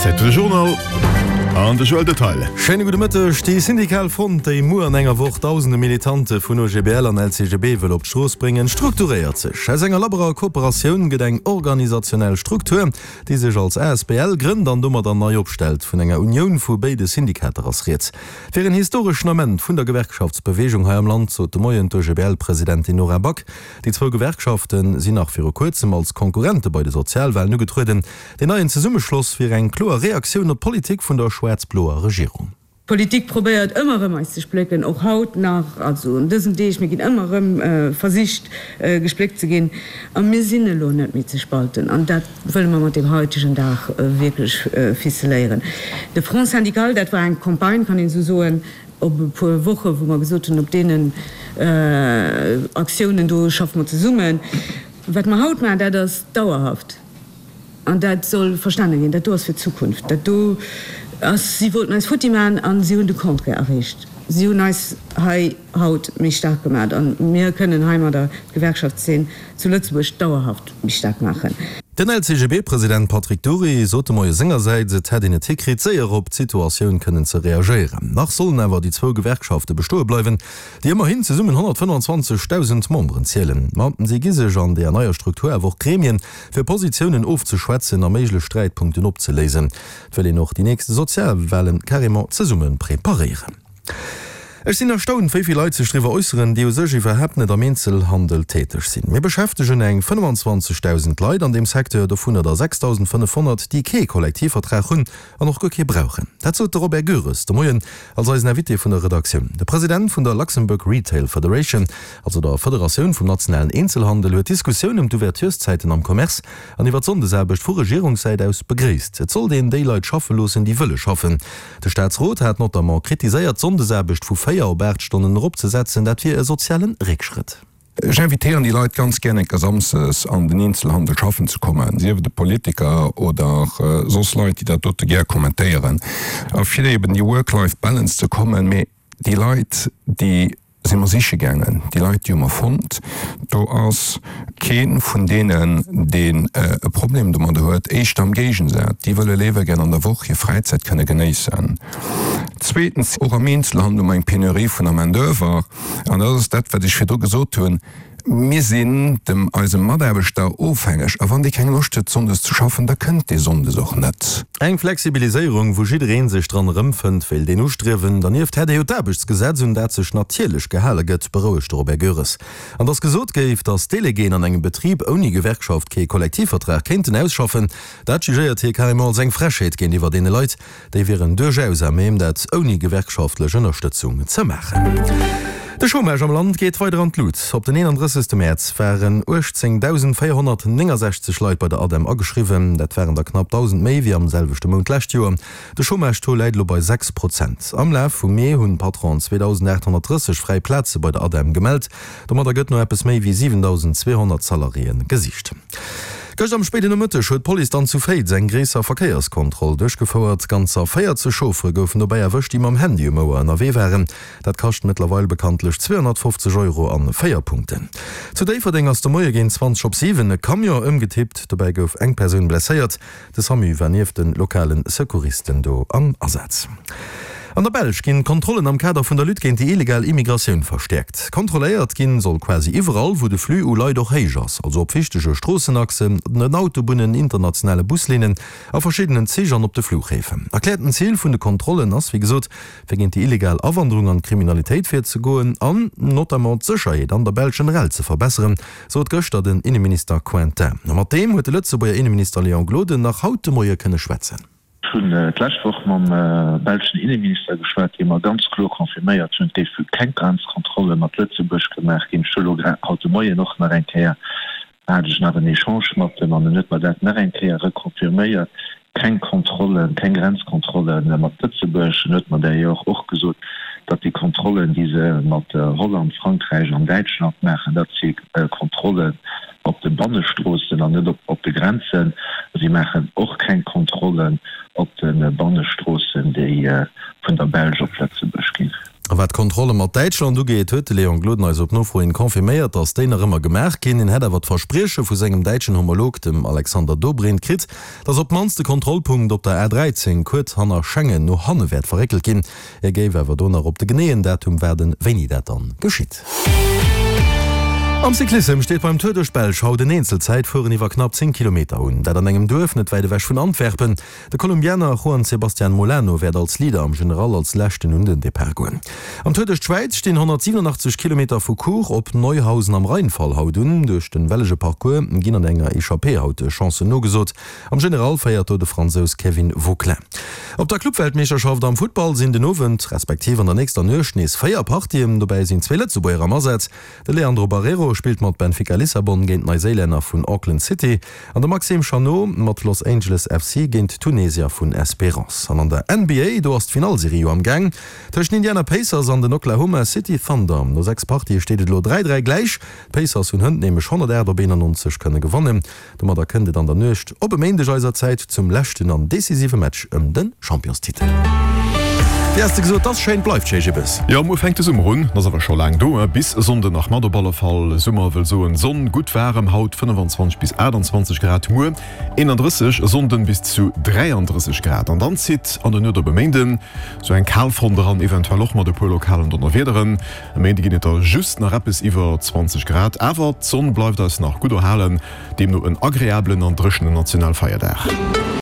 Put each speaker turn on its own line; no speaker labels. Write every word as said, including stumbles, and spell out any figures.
Zäit fir de Journal an de Joël Detaille.
Schéine gudde Mëtteg. Déi syndikal Front, déi muer an enger Woch dausende Militante vun O G B L an L C G B wëll op d'Strooss bréngen, strukturéiert sech. Aus enger labberer Kooperatioun gëtt eng organisationell Struktur, déi sech als A S B L grënnt an domadder nei opstellt. Vun enger Unioun vu béide Syndikater ass rieds. Et wier en historeschen Ament vun der Gewerkschaftsbeweegung hei am Land, sot de Moien d'O G B L-Presidentin Nora Back. Déi zwou Gewerkschafte sinn nach viru kuerzem als Konkurrente bei de Sozialwalen ugetrueden. Deen neien Zesummeschloss wier eng kloer Reaktioun op d'Politik vun der schwaarz-bloer Regierung.
D'Politik probéiert ëmmer erëm eis ze splécken, och haut nach, also an dësen Deeg, mir ginn ëmmer erëm versicht gespléckt ze ginn a mir sinn elo net méi ze spalten an dat wëlle mer mat deem haitegen Dag wierklech ficeléieren. De Front syndical, dat war eng Campagne, kann een esou soen, op e puer Woche wou mer gesot hunn, op deenen Aktiounen do schaffe mer zesummen. Wat mer haut maachen, dat ass dauerhaft. An dat soll verstane ginn, dat do ass fir d'Zukunft. Dat do ass, si wollten eis futti maachen a si hunn de Contraire erreecht. Si hunn eis hei haut méi staark gemaach a mir kënnen heimadder d'Gewerkschaftszeen zu Lëtzebuerg dauerhaft méi staark maachen.
Den L C G B-President Patrick Dury sot de Moie sengersäits, et hätt een et hikritt, séier op d'Situatioun kënnen ze reagéieren. Nach sollen awer déi zwou Gewerkschafte bestoe bleiwen, déi ëmmerhin zesummen honnertfënnefanzwanzegdausend Memberen zielen. Ma si gi sech an deeër neier Struktur awer och Gremien, fir Positiounen ofzeschwätzen a méiglech Sträitpunkten opzeléisen. Et wëll een och déi nächst Sozialwalen carrément zesumme preparéieren. Ech sinn erstaunt, wéi vill Leit sech driwwer äusseren, déi u sech iwwerhaapt net am Eenzelhandel täteg sinn. Mir beschäftegen eng fënnefanzwanzegdausend Leit an deem Secteur, dovunner der sechsdausendfënnefhonnert, déi kee Kollektivvertrag hunn an och guer kee brauchen. Dat sot de Robert Goeres de Moien als eisen Invité vun der Redaktioun. De President vun der Luxembourg Retail Federation, also der Federatioun vum nationalen Eenzelhandel, huet d'Diskussioun ëm d'Ouvertureszäiten am Commerce an iwwer d'Sonndesaarbecht vu Regierungssäit aus begréisst. Et sollt een déi Leit schaffe loossen, déi wëlle schaffen. De Staatsrot hat notamment kritiséiert, d'Sonndesaarbecht vu véier op aacht Stonnen eropzesetzen, dat wier e soziale Réckschrëtt.
Ech invitéieren déi Leit ganz gär eng Kéier samsdes an den Eenzelhandel schaffen ze kommen, sief et e Politiker oder soss Leit, déi dat dote gär kommentéieren, a fir eben déi Work-Life-Balance ze kommen. Mee déi Leit, déi si mer siche gaangen, déi Leit, déi hu mer fonnt. Do ass kee vun deenen, deen e Problem domadder huet, éischter am Géigensaz, déi wëlle léiwer gär an der Woch hir Fräizäit kënne genéissen. Zweetens, och am Eenzelhandel hu mer eng Penurie vun der Main-d'oeuvre, an dat ass dat, wat ech virdru gesot hunn, Mir sinn dem eisem Mataarbechter ofhängeg, a wann dee keng Loscht huet sonndes ze schaffen, da kënnt dee sonndes och net.
Eng Flexibiliséierung, wou jidderee sech dran erëmfënnt, wéilt een ustriewen. Dernieft hätt ee jo d'Aarbechtsgesetz, un dat sech natierlech gehale gëtt, berouegt de Robert Goeres. An datt gesot géif, datt Déléguéen an engem Betrib ouni Gewerkschaft kee Kollektivvertrag kéinten ausschaffen, dat jugéiert hie carrément als eng Frechheet géintiwwer deene Leit. Déi wieren duerchaus à même, dat ouni gewerkschaftlech Ënnerstëtzung ze maachen. De Chômage am Land geet weider an d'Lut. Op den eenandrëssegste Mäerz waren uechtzéngdausendvéierhonnertnéngensechzeg Leit bei der ADEM ageschriwwen. Dat waren der knapp dausend méi wéi am selwechte Mount d'lescht Joer. De Chômage-Taux läit elo bei sechs Prozent. Am Laf vum Mee hunn d'Patronen zweedausendaathonnertdrësseg fräi Plaze bei der ADEM gemellt. Domadder gëtt no eppes méi wéi siwendausendzweehonnert Salariéë gesicht. Gëscht am spéiden Nomëtteg huet d'Police dann zu Féiz eng gréisser Verkéierskontroll duerchgefouert. Ganzer véierzeg Chauffere goufen dobäi erwëscht, déi mam Handy um Ouer ënnerwee waren. Dat kascht mëttlerweil bekanntlech zweehonnertfofzeg Euro an véier Punkten. Zu Déifferdeng ass de Moie géint zwanzeg op siwen e Camion ëmgetippt. Dobäi gouf eng Persoun blesséiert. De SAMU war nieft de lokale Secouristen do am Asaz. An der Belsch ginn d'Kontrollen am Kader vun der Lutte géint déi illegal Immigratioun verstäerkt. Kontrolléiert ginn soll quasi iwwerall, wou de Flux u Leit och héich ass, also op wichtege Stroossenachsen, den Autobunnen, internationale Buslinnen, a verschiddenen Zich an op de Fluchhäfen. Erkläerten Zil vun de Kontrollen ass, wéi gesot, fir géint déi illegal Awanderung an d'Kriminalitéit virzegoen an notamment d'Sécherheet an der Belsch generell ze verbesseren, sot gëschter den Inneminister Quintin. A mat deem huet de Lëtzebuerger Inneminister Léon Gloden nach haut de Moie kënne schwätzen.
Ech hunn d'lescht Woch mam belschen Inneminister geschwat, dee mer ganz kloer confirméiert hunn, et géife keng Grenzkontrolle mat Lëtzebuerg gemaach ginn. Ech hu elo haut de Moien och nach eng Kéier, hat ech nach en Echange mat em an en huet mer dat nach eng Kéier reconfirméiert, keng Kontrollen, keng Grenzkontrolle mat Lëtzebuerg. En huet mer d'ailleurs och gesot, datt déi Kontrollen, déi se mat Holland, Frankräich an Däitschland maachen, dat si Kontrollen op de Bannestroossen an net op de Grenzen. Si maachen och keng Kontrollen op de Bannestroossen, déi vun der Belsch op Lëtzebuerg ginn.
A wat d'Kontrolle mat Däitschland ugeet, huet de Léon Gloden eis op Nofro hin confirméiert, datt déi nach ëmmer gemaach ginn. Hien hätt awer d'Versprieche vu sengem däitschen Homolog, dem Alexander Dobrindt, kritt, datt op d'mannst de Kontrollpunkt op der A dräizéng kuerz hanner Schengen no hanne wäert verréckelt ginn. Hie géif awer do nach op de geneeën Datum waarden, wéini dat dann geschitt. Am Cyclissem steet beim Tour duerch d'Belsch haut en Eenzelzäitfueren iwwer knapp zéng Kilometer un. Dat an engem Duerf net wäit ewech vun Antwerpen. De Kolumbianer Juan Sebastian Molano wäert als Leader am General als leschten un den Depart goen. Am Tour duerch d'Schwäiz stinn honnertsiwwenundachtzeg Kilometer vu Chur op Neuhausen am Rheinfall haut un. Duerch de wellege Parcours ginn an enger Echappée haut Chancen nogesot. Am General féiert do de Fransous Kevin Vauquelin. Op der Clubweltmeeschterschaft am Futtball sinn den Owend, respektiv an der nächster Nuecht nees véier Partien. Dobäi sinn zwee Lëtzebuerger am Asaz. De Leandro Barreiro spillt mat Benfica Lissabon géint d'Neiséilänner vun Auckland City an de Maxime Chanot mat Los Angeles F C géint d'Tunesier vun Espérance. An an der N B A, do ass d'Finallserie jo am Gaang tëscht den Indiana Pacers an den Oklahoma City Thunder. No sechs Partië steet et elo dräi dräi gläich. D'Pacers hunn hënt nämlech honnertaacht op eenannonzeg kënne gewannen. Domadder kënnt et an der Nuecht op e Méindeg eiser Zäit zum leschten an decisive Match ëm de Championstitel. Wéi has de gesot, 't ass schéin, bleift schéi, Jibbes.
Jo, muer fänkt de Summer un, ass awer scho laang do, bis e Sonnden nach mat op alle Fall. Summer wëll soen Sonn, gutt waarem, haut fënnefanzwanzeg bis aachtanzwanzeg Grad, muer eenandrësseg, e Sonnden bis zu dräiandrësseg Grad. An dann zitt an der Nuet op e Méinden sou eng Kalfront eran, eventuell och mat e puer lokalen Donnerwiederen. E Méinde ginn et da just nach eppes iwwer zwanzeg Grad, awer d'Sonn bleift eis nach gutt erhalen, deemno en agreabelen an dréchenen Nationalfeierdag.